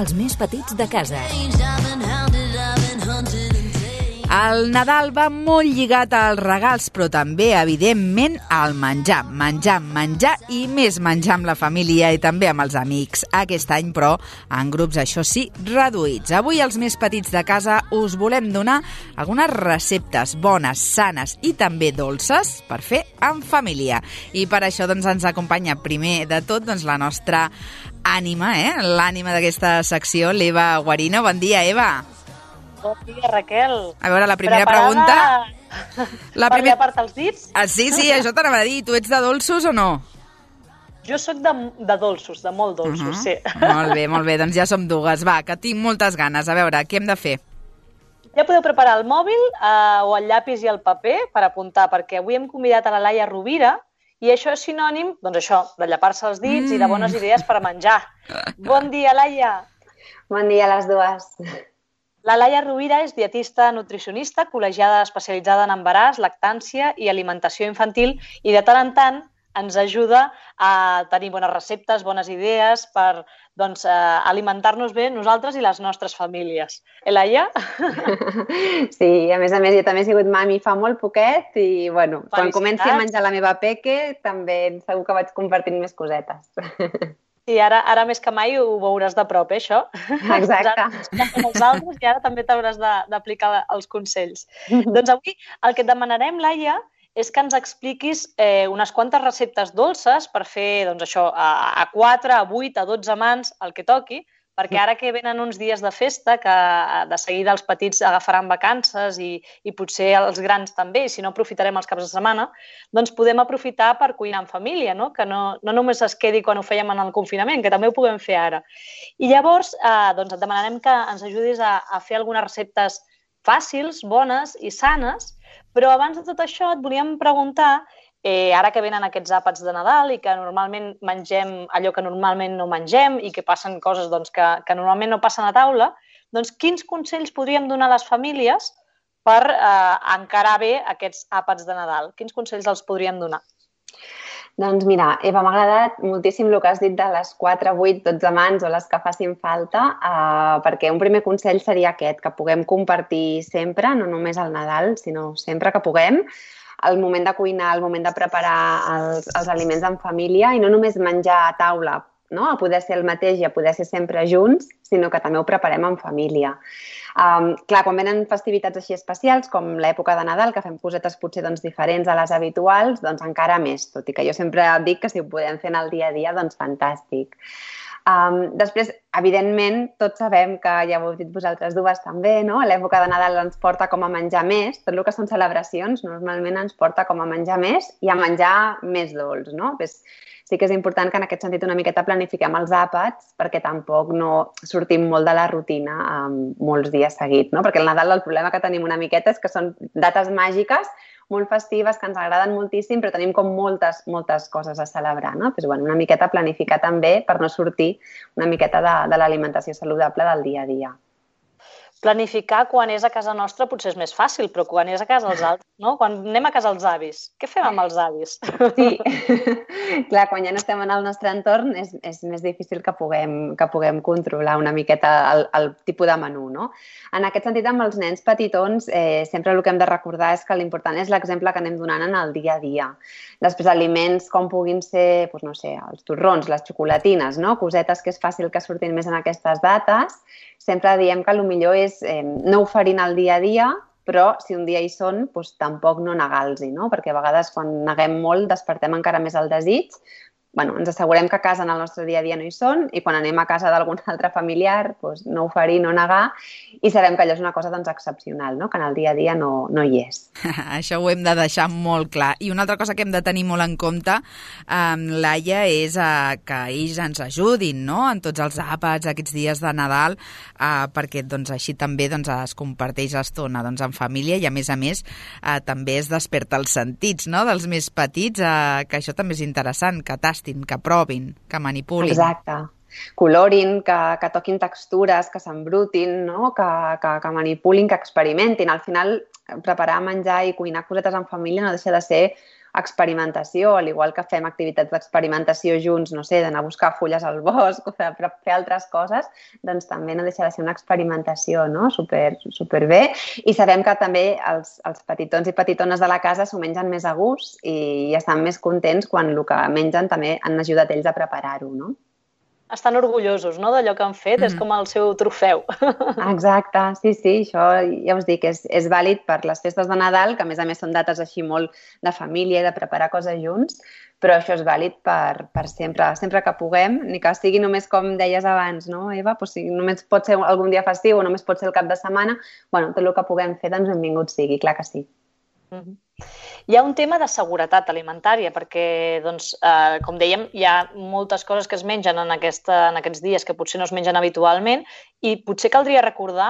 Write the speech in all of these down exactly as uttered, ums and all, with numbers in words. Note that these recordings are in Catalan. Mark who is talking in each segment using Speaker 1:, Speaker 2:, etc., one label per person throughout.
Speaker 1: els més petits de casa. El Nadal va molt lligat als regals, però també, evidentment, al menjar. Menjar, menjar i més menjar amb la família i també amb els amics. Aquest any, però, en grups, això sí, reduïts. Avui, els més petits de casa, us volem donar algunes receptes bones, sanes i també dolces per fer en família. I per això doncs, ens acompanya primer de tot doncs, la nostra ànima, eh? l'ànima d'aquesta secció, l'Eva Guarino. Bon dia, Eva.
Speaker 2: Bon dia, Raquel.
Speaker 1: A veure, la primera
Speaker 2: Preparada
Speaker 1: pregunta... La
Speaker 2: per
Speaker 1: primer...
Speaker 2: llepar-te els dits?
Speaker 1: Ah, sí, sí, això t'anava a dir. Tu ets de dolços o no?
Speaker 2: Jo sóc de, de dolços, de molt dolços, uh -huh. sí.
Speaker 1: Molt bé, molt bé, doncs ja som dues. Va, que tinc moltes ganes. A veure, què hem de fer?
Speaker 2: Ja podeu preparar el mòbil eh, o el llapis i el paper per apuntar, perquè avui hem convidat a la Laia Rovira i això és sinònim, doncs això, de llepar-se els dits mm. i de bones idees per menjar. Bon dia, Laia.
Speaker 3: Bon dia a les dues.
Speaker 2: La Laia Rovira és dietista nutricionista, col·legiada especialitzada en embaràs, lactància i alimentació infantil i de tant en tant ens ajuda a tenir bones receptes, bones idees per doncs, eh, alimentar-nos bé nosaltres i les nostres famílies. Eh, Laia?
Speaker 3: Sí, a més a més jo també he sigut mami fa molt poquet i bueno, quan comenci a menjar la meva peque també segur que vaig compartint més cosetes.
Speaker 2: Sí, ara, ara més que mai ho veuràs de prop, eh, això?
Speaker 3: Exacte.
Speaker 2: Com els altres i ara també t'hauràs d'aplicar els consells. Doncs avui el que et demanarem, Laia, és que ens expliquis eh, unes quantes receptes dolces per fer doncs, això a, a quatre, a vuit, a dotze mans, el que toqui, perquè ara que venen uns dies de festa, que de seguida els petits agafaran vacances i, i potser els grans també, i si no aprofitarem els caps de setmana, doncs podem aprofitar per cuinar en família, no? Que no, no només es quedi quan ho fèiem en el confinament, que també ho puguem fer ara. I llavors eh, doncs et demanarem que ens ajudis a, a fer algunes receptes fàcils, bones i sanes, però abans de tot això et volíem preguntar, eh, ara que venen aquests àpats de Nadal i que normalment mengem allò que normalment no mengem i que passen coses doncs, que, que normalment no passen a taula, doncs quins consells podríem donar a les famílies per eh, encarar bé aquests àpats de Nadal? Quins consells els podríem donar?
Speaker 3: Doncs mira, Eva, m'ha agradat moltíssim el que has dit de les quatre, vuit, dotze mans o les que facin falta, eh, perquè un primer consell seria aquest, que puguem compartir sempre, no només al Nadal, sinó sempre que puguem, el moment de cuinar, el moment de preparar els, els aliments en família i no només menjar a taula, no? A poder ser el mateix i a poder ser sempre junts, sinó que també ho preparem en família. Um, clar, quan venen festivitats així especials, com l'època de Nadal, que fem cosetes potser doncs, diferents a les habituals, doncs encara més, tot i que jo sempre dic que si ho podem fer en el dia a dia, doncs fantàstic. Um, després, evidentment, tots sabem que ja ho heu dit vosaltres dues també, no? L'època de Nadal ens porta com a menjar més, tot el que són celebracions normalment ens porta com a menjar més i a menjar més dolç, no? Ves, sí que és important que en aquest sentit una miqueta planifiquem els àpats perquè tampoc no sortim molt de la rutina um, molts dies seguits, no? Perquè el Nadal el problema que tenim una miqueta és que són dates màgiques molt festives, que ens agraden moltíssim, però tenim com moltes, moltes coses a celebrar, no? Pues, bueno, una miqueta planificar també per no sortir una miqueta de, de l'alimentació saludable del dia a dia.
Speaker 2: Planificar quan és a casa nostra potser és més fàcil, però quan és a casa dels altres, no? Quan anem a casa dels avis, què fem amb els avis?
Speaker 3: Sí, clar, quan ja no estem en el nostre entorn és, és més difícil que puguem, que puguem controlar una miqueta el, el tipus de menú, no? En aquest sentit, amb els nens petitons, eh, sempre el que hem de recordar és que l'important és l'exemple que anem donant en el dia a dia. Després, aliments com puguin ser, doncs no sé, els torrons, les xocolatines, no? Cosetes que és fàcil que surtin més en aquestes dates. Sempre diem que el millor és eh, no oferir el dia a dia, però si un dia hi són, doncs, tampoc no negar-los, no? Perquè a vegades quan neguem molt despertem encara més el desig. Bueno, ens assegurem que a casa en el nostre dia a dia no hi són i quan anem a casa d'algun altre familiar doncs, no oferir, no negar i sabem que allò és una cosa doncs, excepcional, no? Que en el dia a dia no, no hi és.
Speaker 1: Això ho hem de deixar molt clar. I una altra cosa que hem de tenir molt en compte, eh, Laia, és eh, que ells ens ajudin, no? En tots els àpats, aquests dies de Nadal, eh, perquè doncs, així també doncs, es comparteix estona doncs, en família i a més a més eh, també es desperta els sentits, no? Dels més petits, eh, que això també és interessant, que tastin, que provin, que manipulin.
Speaker 3: Exacte. Colorin, que, que toquin textures, que s'embrutin, no? que, que, que manipulin, que experimentin. Al final, preparar menjar i cuinar cosetes en família no deixa de ser experimentació, al igual que fem activitats d'experimentació junts, no sé, d'anar a buscar fulles al bosc o fer, fer altres coses, doncs també no deixa de ser una experimentació, no? Super, super bé. I sabem que també els, els petitons i petitones de la casa s'ho mengen més a gust i estan més contents quan el que mengen també han ajudat ells a preparar-ho, no?
Speaker 2: Estan orgullosos, no?, d'allò que han fet, mm. és com el seu trofeu.
Speaker 3: Exacte, sí, sí, això ja us dic, és, és vàlid per les festes de Nadal, que a més a més són dates així molt de família i de preparar coses junts, però això és vàlid per, per sempre, sempre que puguem, ni que sigui només com deies abans, no, Eva? Pues si només pot ser algun dia festiu o només pot ser el cap de setmana, bueno, tot el que puguem fer, doncs benvingut sigui, clar que sí.
Speaker 2: Mm-hmm. Hi ha un tema de seguretat alimentària, perquè, doncs, eh, com dèiem, hi ha moltes coses que es mengen en, aquesta, en aquests dies que potser no es mengen habitualment i potser caldria recordar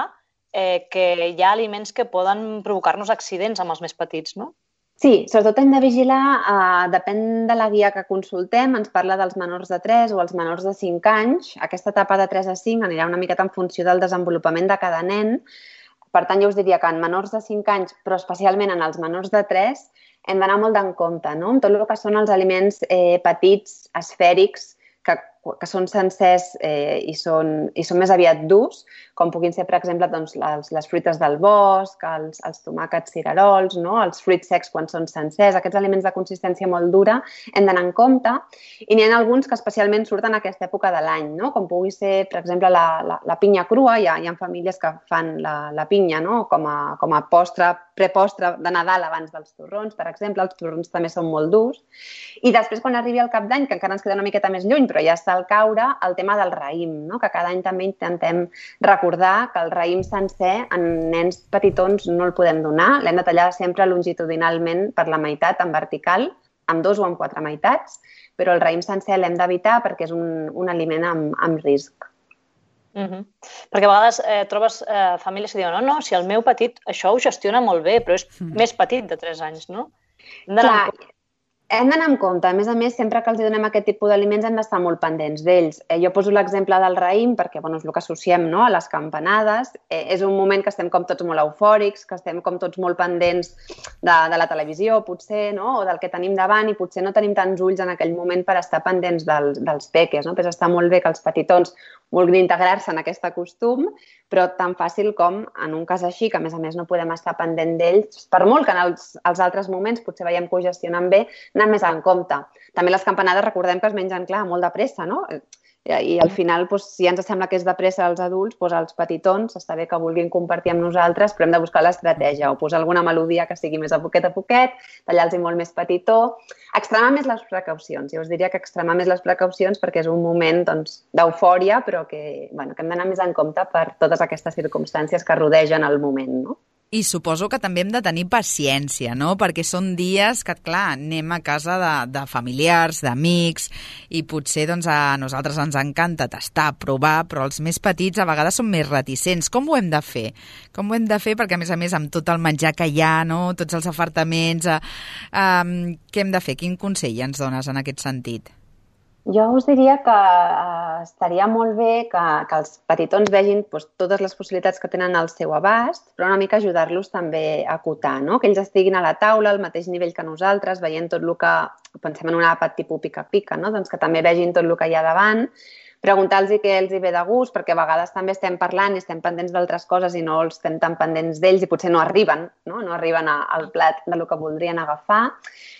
Speaker 2: eh, que hi ha aliments que poden provocar-nos accidents amb els més petits, no?
Speaker 3: Sí, sobretot hem de vigilar, eh, depèn de la guia que consultem, ens parla dels menors de tres o els menors de cinc anys. Aquesta etapa de tres a cinc anirà una miqueta en funció del desenvolupament de cada nen. Per tant, jo us diria que en menors de cinc anys, però especialment en els menors de tres, hem d'anar molt en compte, no? Amb tot el que són els aliments eh, petits, esfèrics, que, que són sencers eh, i, són, i són més aviat durs, com puguin ser, per exemple, doncs, les, les fruites del bosc, els, els tomàquets cirerols, no? Els fruits secs quan són sencers, aquests aliments de consistència molt dura, hem d'anar en compte. I n'hi ha alguns que especialment surten a aquesta època de l'any, no? Com pugui ser, per exemple, la, la, la pinya crua. Hi ha, hi ha famílies que fan la, la pinya, no? com, a, com a postre, prepostre de Nadal abans dels torrons, per exemple. Els torrons també són molt durs. I després, quan arribi el cap d'any, que encara ens queda una miqueta més lluny, però ja està al caure, el tema del raïm, no? Que cada any també intentem recordar que el raïm sencer en nens petitons no el podem donar. L'hem de tallar sempre longitudinalment per la meitat, en vertical, amb dos o amb quatre meitats, però el raïm sencer l'hem d'evitar perquè és un, un aliment amb, amb risc.
Speaker 2: Uh-huh. Perquè a vegades eh, trobes eh, famílies que diuen no, no, si el meu petit això ho gestiona molt bé, però és mm. més petit de tres anys, no?
Speaker 3: Clar, hem d'anar amb compte. A més a més, sempre que els donem aquest tipus d'aliments hem d'estar molt pendents d'ells. Eh, jo poso l'exemple del raïm perquè bueno, és el que associem, no?, a les campanades. Eh, és un moment que estem com tots molt eufòrics, que estem com tots molt pendents de, de la televisió, potser, no?, o del que tenim davant, i potser no tenim tants ulls en aquell moment per estar pendents del, dels peques, no? Però està molt bé que els petitons vulguin integrar-se en aquest costum, però tan fàcil com en un cas així, que a més a més no podem estar pendent d'ells, per molt que en els, els altres moments potser veiem que ho gestionen bé, anar més en compte. També les campanades recordem que es mengen, clar, molt de pressa, no? I al final, doncs, si ja ens sembla que és de pressa als adults, doncs als petitons està bé que vulguin compartir amb nosaltres, però hem de buscar l'estratègia o posar alguna melodia que sigui més a poquet a poquet, tallar-los molt més petitó, extremar més les precaucions. Jo us diria que extremar més les precaucions perquè és un moment doncs, d'eufòria, però que, bueno, que hem d'anar més en compte per totes aquestes circumstàncies que rodegen el moment, no?
Speaker 1: I suposo que també hem de tenir paciència, no? Perquè són dies que, clar, anem a casa de, de familiars, d'amics, i potser doncs, a nosaltres ens encanta tastar, provar, però els més petits a vegades són més reticents. Com ho hem de fer? Com ho hem de fer? Perquè, a més a més, amb tot el menjar que hi ha, no? Tots els afartaments, eh, eh, què hem de fer? Quin consell ens dones en aquest sentit?
Speaker 3: Jo us diria que eh, estaria molt bé que, que els petitons vegin doncs, totes les possibilitats que tenen al seu abast, però una mica ajudar-los també a acotar, no? Que ells estiguin a la taula al mateix nivell que nosaltres, veient tot el que, pensem en un àpat tipus pica-pica, no? Doncs que també vegin tot el que hi ha davant, preguntar-los què els hi ve de gust, perquè a vegades també estem parlant i estem pendents d'altres coses i no els estem tan pendents d'ells i potser no arriben, no, no arriben a, al plat del que voldrien agafar,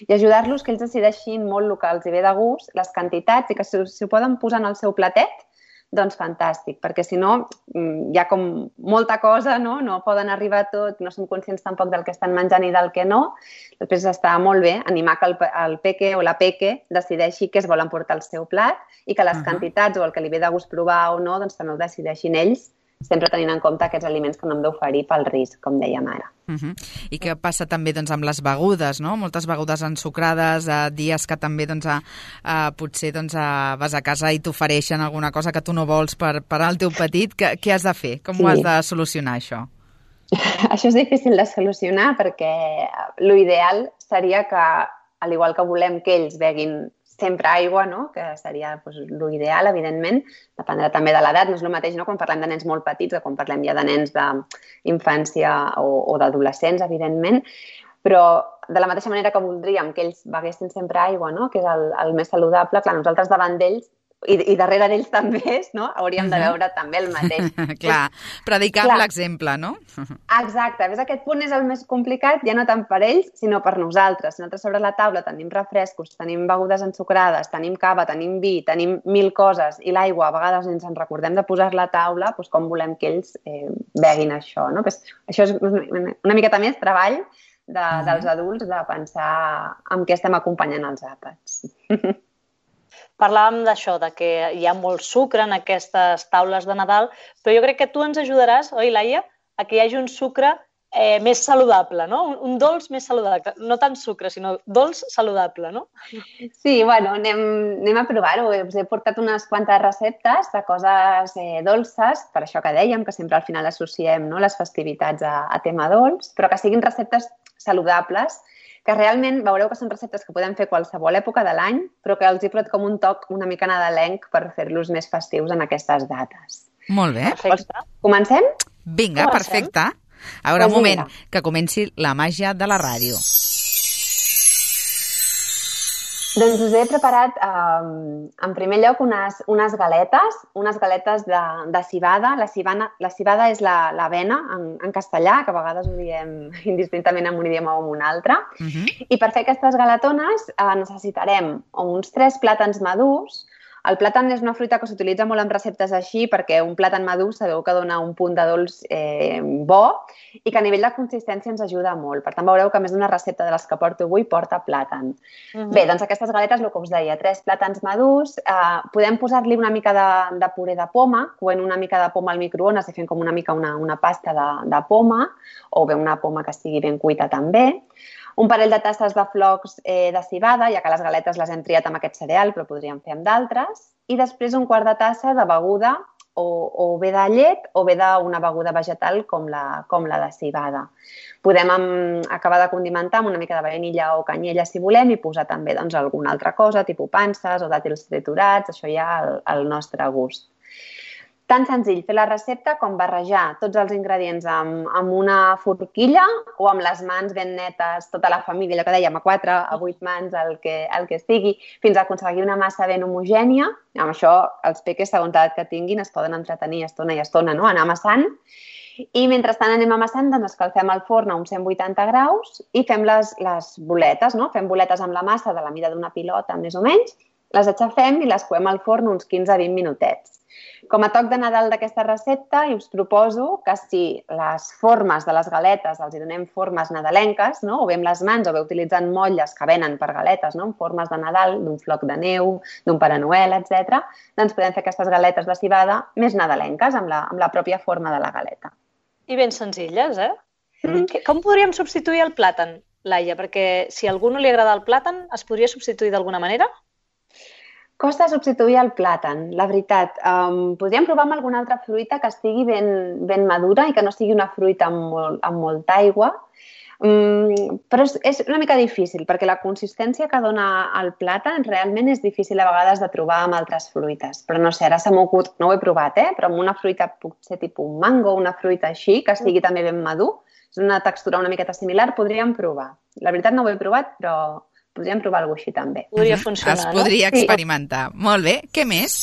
Speaker 3: i ajudar-los que ells decideixin molt el que els hi ve de gust, les quantitats, i que si, si ho poden posar en el seu platet, doncs fantàstic, perquè si no hi ha com molta cosa, no? No poden arribar a tot, no som conscients tampoc del que estan menjant i del que no. Després està molt bé animar que el, el peque o la peque decideixi què es volen portar al seu plat i que les uh-huh. quantitats o el que li ve de gust provar o no, doncs també ho decideixin ells, sempre tenint en compte aquests aliments que no hem d'oferir pel risc, com dèiem ara.
Speaker 1: Uh-huh. I què passa també doncs, amb les begudes, no? Moltes begudes ensucrades, eh, dies que també doncs, a, a, potser doncs, a, vas a casa i t'ofereixen alguna cosa que tu no vols per, per al teu petit. Què, què has de fer? Com sí. ho has de solucionar, això?
Speaker 3: Això és difícil de solucionar perquè l'ideal seria que, al igual que volem que ells beguin sempre aigua, no? Que seria doncs, l'ideal, evidentment, dependrà també de l'edat, no és el mateix no? Quan parlem de nens molt petits o quan parlem ja de nens d'infància o, o d'adolescents, evidentment, però de la mateixa manera que voldríem que ells beguessin sempre aigua, no? Que és el, el més saludable, clar, nosaltres davant d'ells i, i darrere d'ells també, no? Hauríem uh-huh. de veure també el mateix.
Speaker 1: Clar, predicar amb l'exemple, no?
Speaker 3: Exacte, ves, aquest punt és el més complicat, ja no tant per ells, sinó per nosaltres. Si nosaltres sobre la taula tenim refrescos, tenim begudes ensucrades, tenim cava, tenim vi, tenim mil coses, i l'aigua a vegades ens en recordem de posar-la a taula, doncs com volem que ells eh, beguin això, no? Pues, això és una miqueta més treball de, uh-huh. dels adults de pensar en què estem acompanyant els àpats.
Speaker 2: Parlàvem d'això, de que hi ha molt sucre en aquestes taules de Nadal, però jo crec que tu ens ajudaràs, oi, Laia, a que hi hagi un sucre eh, més saludable, no? Un, un dolç més saludable. No tant sucre, sinó dolç saludable, no?
Speaker 3: Sí, bueno, anem, anem a provar-ho. Us he portat unes quantes receptes de coses eh, dolces, per això que dèiem, que sempre al final associem, no, les festivitats a, a tema dolç, però que siguin receptes saludables, que realment veureu que són receptes que podem fer qualsevol època de l'any, però que els he posat com un toc una mica nadalenc per fer-los més festius en aquestes dates.
Speaker 1: Molt bé.
Speaker 2: Perfecte.
Speaker 3: Comencem?
Speaker 1: Vinga, Comencem. Perfecte. A veure, un moment, que comenci la màgia de la ràdio. Doncs us he preparat, eh, en primer lloc, unes, unes galetes, unes galetes de, de civada. La civada, la civada és l'avena en, en castellà, que a vegades ho diem indistintament en un idioma o en un altre. Uh-huh. I per fer aquestes galetones eh, necessitarem uns tres plàtans madurs. El plàtan és una fruita que s'utilitza molt en receptes així perquè un plàtan madur sabeu que dona un punt de dolç eh, bo i que a nivell de consistència ens ajuda molt. Per tant, veureu que més d'una recepta de les que porto avui porta plàtan. Uh-huh. Bé, doncs aquestes galetes, el que us deia, tres plàtans madurs, eh, podem posar-li una mica de, de puré de poma, coent una mica de poma al microones i fent com una mica una, una pasta de, de poma, o bé una poma que estigui ben cuita també. Un parell de tasses de flocs eh, de civada, ja que les galetes les hem triat amb aquest cereal, però podríem fer amb d'altres. I després un quart de tassa de beguda o, o bé de llet o bé d'una beguda vegetal com la, com la de civada. Podem um, acabar de condimentar amb una mica de vainilla o canyella si volem i posar també doncs, alguna altra cosa, tipus panses o dàtils triturats, això ja al, al nostre gust. Tan senzill fer la recepta com barrejar tots els ingredients amb, amb una forquilla o amb les mans ben netes, tota la família, allò que dèiem, a quatre, a vuit mans, el que, el que sigui, fins a aconseguir una massa ben homogènia. Amb això, els peques, segons l'edat que tinguin, es poden entretenir estona i estona, no? Anar amassant. I mentrestant anem amassant, doncs escalfem el forn a uns cent vuitanta graus i fem les, les boletes, no? Fem boletes amb la massa de la mida d'una pilota, més o menys, les aixafem i les coem al forn uns quinze a vint minutets. Com a toc de Nadal d'aquesta recepta, us proposo que si les formes de les galetes els hi donem formes nadalenques, no? O bé amb les mans o bé utilitzant motlles que venen per galetes, no? En formes de Nadal, d'un floc de neu, d'un Pare Noel, etcètera, doncs podem fer aquestes galetes de civada més nadalenques amb la, amb la pròpia forma de la galeta.
Speaker 2: I ben senzilles, eh? Mm. Com podríem substituir el plàtan, Laia? Perquè si a algú no li agrada el plàtan, es podria substituir d'alguna manera?
Speaker 3: Costa substituir el plàtan, la veritat. Um, podríem provar amb alguna altra fruita que estigui ben, ben madura i que no sigui una fruita amb, molt, amb molta aigua. Um, però és, és una mica difícil, perquè la consistència que dona el plàtan realment és difícil a vegades de trobar amb altres fruites. Però no sé, ara se m'ha ocorregut, no ho he provat, eh? Però amb una fruita potser tipus un mango, una fruita així, que estigui també ben madur, és una textura una miqueta similar, podríem provar. La veritat no ho he provat, però podríem provar alguna cosa així també.
Speaker 2: Podria funcionar,
Speaker 1: es podria
Speaker 2: no?
Speaker 1: experimentar. Sí. Molt bé. Què més?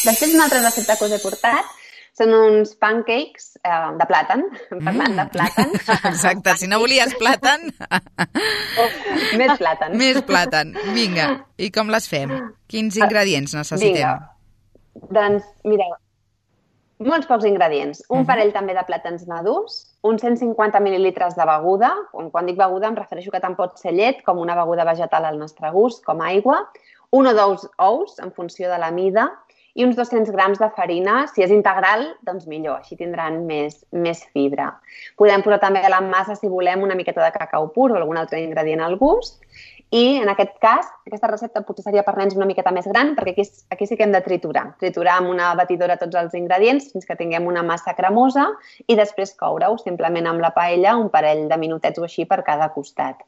Speaker 3: Després, una altra recepta que us he portat són uns pancakes eh, de plàtan, parlant mm. de plàtan.
Speaker 1: Exacte, si no volies plàtan...
Speaker 3: oh, més plàtan.
Speaker 1: Més plàtan. Vinga, i com les fem? Quins ingredients necessitem?
Speaker 3: Vinga. Doncs, mireu, molts pocs ingredients. Un uh-huh. parell també de plàtans madurs, uns cent cinquanta mil·lilitres de beguda. Quan dic beguda em refereixo que tant pot ser llet com una beguda vegetal al nostre gust, com aigua. Un o dos ous, en funció de la mida, i uns dos-cents grams de farina. Si és integral, doncs millor, així tindran més, més fibra. Podem posar també a la massa, si volem, una miqueta de cacau pur o algun altre ingredient al gust. I, en aquest cas, aquesta recepta potser seria per nens una miqueta més gran, perquè aquí, aquí sí que hem de triturar. Triturar amb una batidora tots els ingredients fins que tinguem una massa cremosa i després coure-ho simplement amb la paella un parell de minutets o així per cada costat.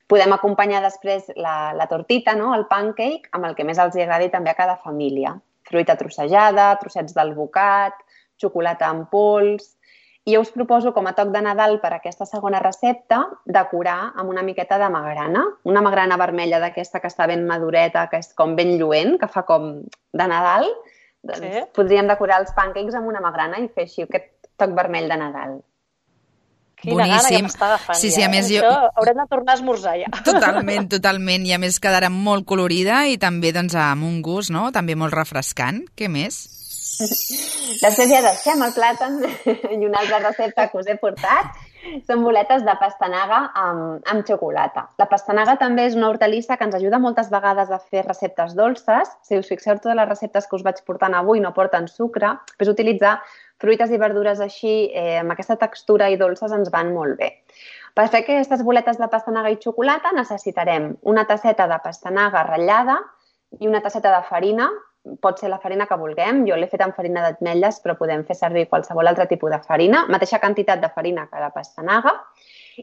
Speaker 3: Podem acompanyar després la, la tortita, no? El pancake, amb el que més els agradi també a cada família. Fruita trossejada, trossets d'alvocat, xocolata en pols. I jo us proposo, com a toc de Nadal per aquesta segona recepta, decorar amb una miqueta de magrana. Una magrana vermella d'aquesta que està ben madureta, que és com ben lluent, que fa com de Nadal. Doncs sí. Podríem decorar els pancakes amb una magrana i fer així aquest toc vermell de Nadal.
Speaker 2: Quina gana que m'està agafant
Speaker 1: sí, sí,
Speaker 2: ja.
Speaker 1: A més,
Speaker 2: eh?
Speaker 1: jo...
Speaker 2: Això haurem de tornar a esmorzar ja.
Speaker 1: Totalment, totalment. I a més quedarà molt colorida i també doncs, amb un gust, no? També molt refrescant. Què més?
Speaker 3: Després ja deixem el plàtan i una altra recepta que us he portat són boletes de pastanaga amb, amb xocolata. La pastanaga també és una hortalissa que ens ajuda moltes vegades a fer receptes dolces. Si us fixeu, totes les receptes que us vaig portant avui no porten sucre, és utilitzar fruites i verdures així, eh, amb aquesta textura i dolces ens van molt bé. Per fer aquestes boletes de pastanaga i xocolata necessitarem una tasseta de pastanaga ratllada i una tasseta de farina. Pot ser la farina que vulguem. Jo l'he fet amb farina d'ametlles, però podem fer servir qualsevol altre tipus de farina. Mateixa quantitat de farina que de pastanaga.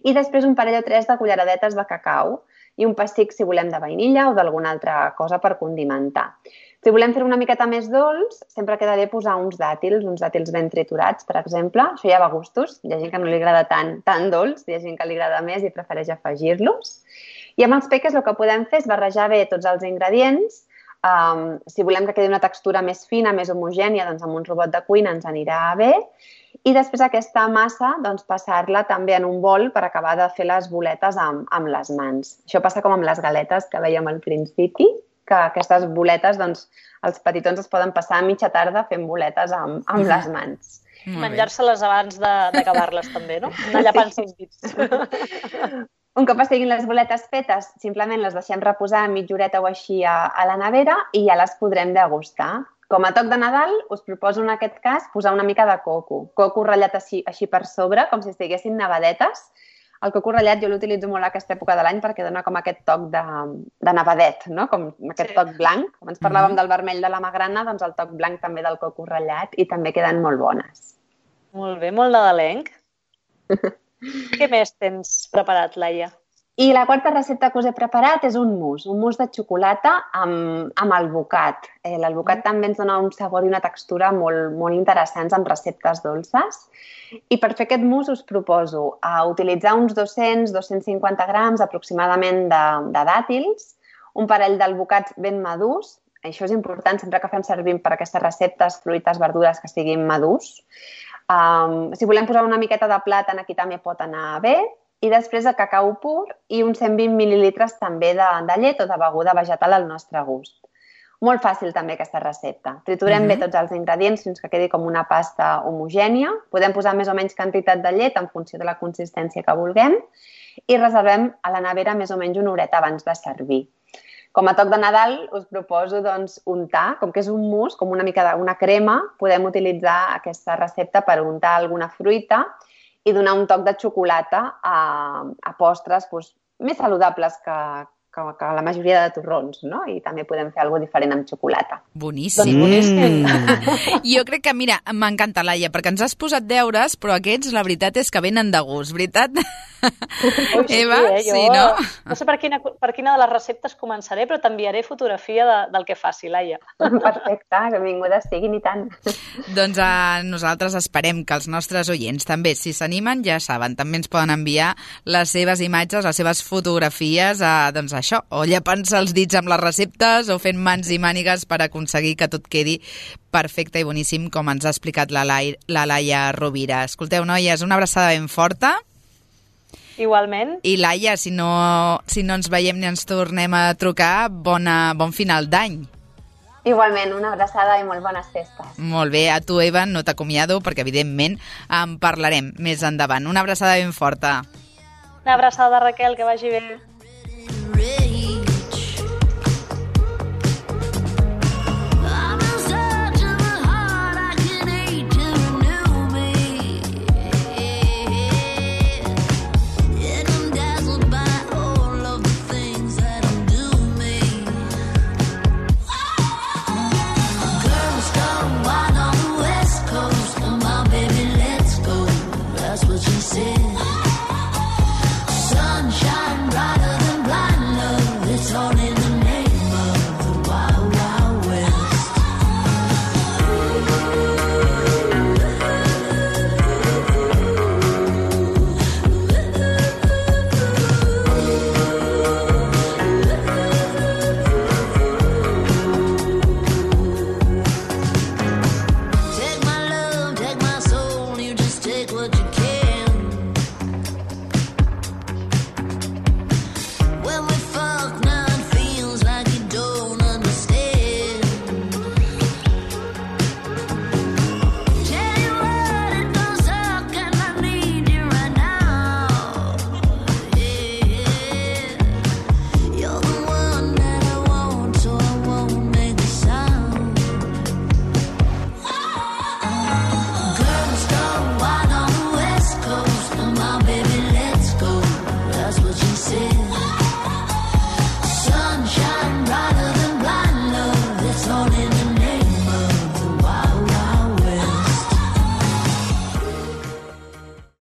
Speaker 3: I després un parell o tres de culleradetes de cacau i un pessic, si volem, de vainilla o d'alguna altra cosa per condimentar. Si volem fer una miqueta més dolç, sempre queda bé posar uns dàtils, uns dàtils ben triturats, per exemple. Això ja va a gustos. Hi ha gent que no li agrada tant, tan dolç, hi ha gent que li agrada més i prefereix afegir-los. I amb els peques el que podem fer és barrejar bé tots els ingredients. Um, si volem que quedi una textura més fina, més homogènia, doncs amb un robot de cuina ens anirà bé. I després aquesta massa, doncs, passar-la també en un bol per acabar de fer les boletes amb, amb les mans. Això passa com amb les galetes que vèiem al principi, que aquestes boletes, doncs, els petitons es poden passar a mitja tarda fent boletes amb, amb les mans.
Speaker 2: Menjar-se-les abans d'acabar-les també, no? Anar llapant els dits.
Speaker 3: Un cop estiguin les boletes fetes, simplement les deixem reposar mitja horeta o així a, a la nevera i ja les podrem degustar. Com a toc de Nadal, us proposo en aquest cas posar una mica de coco. Coco ratllat així, així per sobre, com si estiguessin nevadetes. El coco ratllat jo l'utilitzo molt a aquesta època de l'any perquè dona com aquest toc de, de nevadet, no? Com aquest sí. toc blanc. Com ens parlàvem mm-hmm. del vermell de la magrana, doncs el toc blanc també del coco ratllat i també queden molt bones.
Speaker 2: Molt bé, molt nadalenc. Què més tens preparat, Laia?
Speaker 3: I la quarta recepta que us he preparat és un mousse, un mousse de xocolata amb, amb alvocat. Eh, L'alvocat mm. també ens dona un sabor i una textura molt, molt interessants amb receptes dolces. I per fer aquest mousse us proposo a utilitzar uns dos-cents a dos-cents cinquanta grams aproximadament de, de dàtils, un parell d'alvocats ben madurs. Això és important sempre que fem servir per aquestes receptes fruites, verdures que siguin madurs. Um, si volem posar una miqueta de plàtan, aquí també pot anar bé. I després de cacau pur i uns cent vint mil·lilitres també de, de llet o de beguda vegetal al nostre gust. Molt fàcil també aquesta recepta. Triturem uh-huh. bé tots els ingredients fins que quedi com una pasta homogènia. Podem posar més o menys quantitat de llet en funció de la consistència que vulguem i reservem a la nevera més o menys una horeta abans de servir. Com a toc de Nadal us proposo doncs, untar, com que és un mousse, com una mica d'una crema, podem utilitzar aquesta recepta per untar alguna fruita i donar un toc de xocolata a, a postres doncs, més saludables que, que, que la majoria de torrons, no? I també podem fer alguna cosa diferent amb xocolata.
Speaker 1: Boníssim.
Speaker 2: Doncs boníssim.
Speaker 1: Jo crec que, mira, m'encanta, Laia, perquè ens has posat deures, però aquests, la veritat és que venen de gust, veritat?
Speaker 2: Ui, sí,
Speaker 1: Eva,
Speaker 2: eh? jo,
Speaker 1: sí, no?
Speaker 2: No sé per quina, per quina de les receptes començaré, però t'enviaré fotografia de, del que faci, Laia.
Speaker 3: Perfecte, benvingudes siguin i tant.
Speaker 1: Doncs a nosaltres esperem que els nostres oients també, si s'animen, ja saben, també ens poden enviar les seves imatges, les seves fotografies, a, doncs això, o llepant-se els dits amb les receptes o fent mans i mànigues per aconseguir que tot quedi perfecte i boníssim, com ens ha explicat la, Lai, la Laia Rovira. Escolteu, noies, una abraçada ben forta.
Speaker 2: Igualment.
Speaker 1: I Laia, si no, si no ens veiem ni ens tornem a trucar, bona, bon final d'any.
Speaker 3: Igualment, una abraçada i molt bones festes.
Speaker 1: Molt bé, a tu, Eva, no t'acomiado perquè, evidentment, en parlarem més endavant. Una abraçada ben forta.
Speaker 2: Una abraçada, Raquel, que vagi bé.